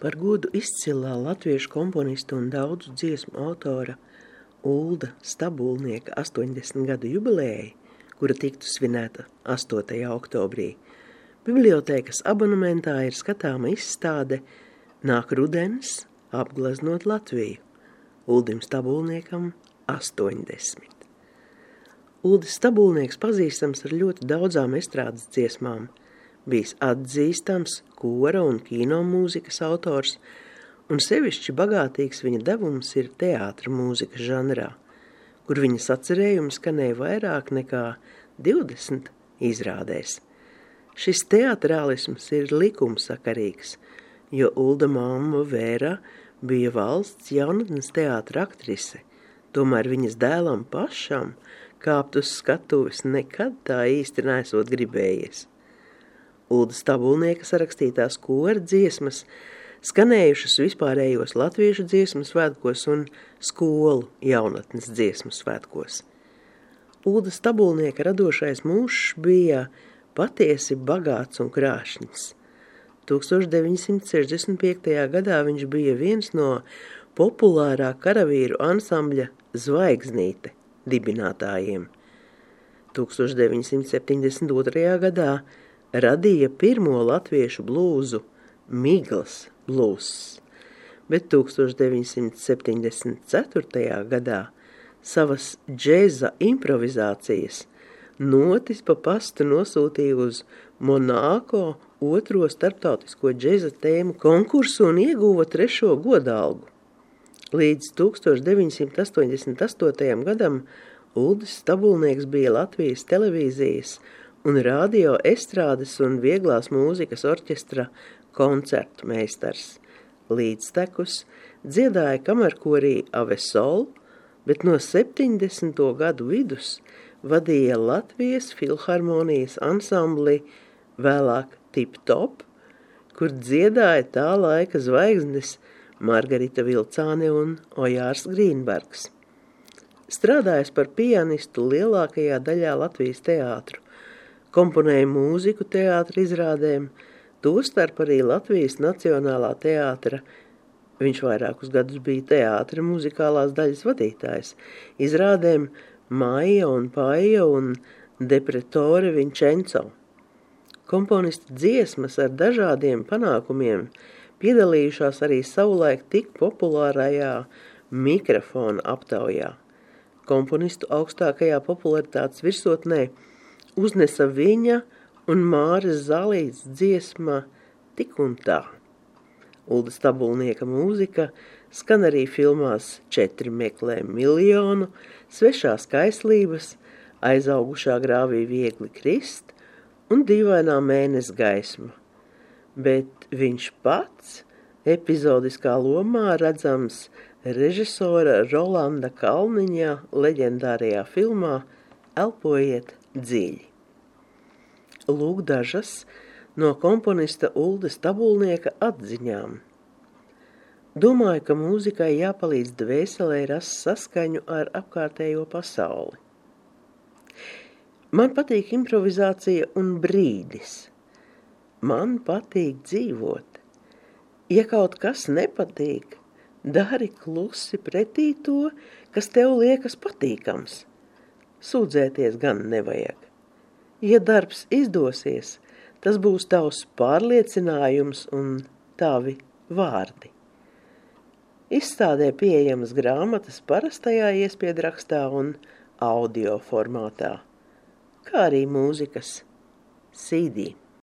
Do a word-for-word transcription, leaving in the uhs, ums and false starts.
Par godu izcilā latviešu komponista un daudzu dziesmu autora Ulda Stabulnieka astoņdesmit gadu jubilejai, kura tiktu svinēta astotajā oktobrī, bibliotēkas abonementā ir skatāma izstāde Nāk rudens, apgleznot Latviju, Uldim Stabulniekam astoņdesmit. Uldis Stabulnieks pazīstams ar ļoti daudzām estrādes dziesmām, bijis atzīstams kora un kino mūzikas autors, un sevišķi bagātīgs viņa devums ir teātra mūzikas žanrā, kur viņa sacerējumi skanēja vairāk nekā divdesmit izrādēs. Šis teatrālisms ir likumsakarīgs, jo Ulda mamma Vēra bija valsts jaunatnes teātra aktrise, tomēr viņas dēlam pašam kāpt uz skatuves nekad tā īsti nesot gribējies. Ulda Stabulnieka sarakstītās kora dziesmas skanējušas vispārējos latviešu dziesmu svētkos un skolu jaunatnes dziesmu svētkos. Ulda Stabulnieka radošais mūžs bija patiesi bagāts un krāšņs. tūkstoš deviņsimt sešdesmit piektajā gadā viņš bija viens no populārā karavīru ansambļa Zvaigznīte dibinātājiem. tūkstoš deviņsimt septiņdesmit otrajā gadā radīja pirmo latviešu blūzu Miglas blūzs, bet tūkstoš deviņsimt septiņdesmit ceturtajā gadā savas džēza improvizācijas notis pa pastu nosūtīja uz Monako otro starptautisko džēza tēmu konkursu un ieguva trešo godalgu. Līdz tūkstoš deviņsimt astoņdesmit astotajam gadam Uldis Stabulnieks bija Latvijas televīzijas un radio estrādes un vieglās mūzikas orķestra koncertu meistars. Līdztekus dziedāja kamerkorī Avesol, bet no septiņdesmito gadu vidus vadīja Latvijas filharmonijas ansambli, vēlāk Tip Top, kur dziedāja tā laika zvaigznes Margarita Vilcāne un Ojārs Grīnbergs. Strādājis par pianistu lielākajā daļā Latvijas teātru, komponēja mūziku teātra izrādēm, tostarp arī Latvijas Nacionālā teātra. Viņš vairākus gadus bija teātra muzikālās daļas vadītājs, izrādēm Maija un Paija un Depretore Vincenzo. Komponista dziesmas ar dažādiem panākumiem piedalījušās arī savulaik tik populārajā mikrofona aptaujā. Komponistu augstākajā popularitātes virsotnē uznesa viņa un Māres Zalītes dziesma Tik un tā. Ulda Stabulnieka mūzika skan arī filmās Četri meklē miljonu, Svešās kaislības, Aizaugušā grāvī viegli krist un Dīvainā mēness gaisma, bet viņš pats epizodiskā lomā redzams režisora Rolanda Kalniņa leģendārajā filmā Elpojiet dziļi. Lūk dažas no komponista Ulda Stabulnieka atziņām. Domāju, ka mūzikai jāpalīdz dvēselē rast saskaņu ar apkārtējo pasauli. Man patīk improvizācija un brīdis. Man patīk dzīvot. Ja kaut kas nepatīk, dari klusi pretī to, kas tev liekas patīkams. Sūdzēties gan nevajag. Ja darbs izdosies, tas būs tavs pārliecinājums un tavi vārdi. Izstādē pieejamas grāmatas parastajā iespiedrakstā un audio formātā, kā arī mūzikas C D.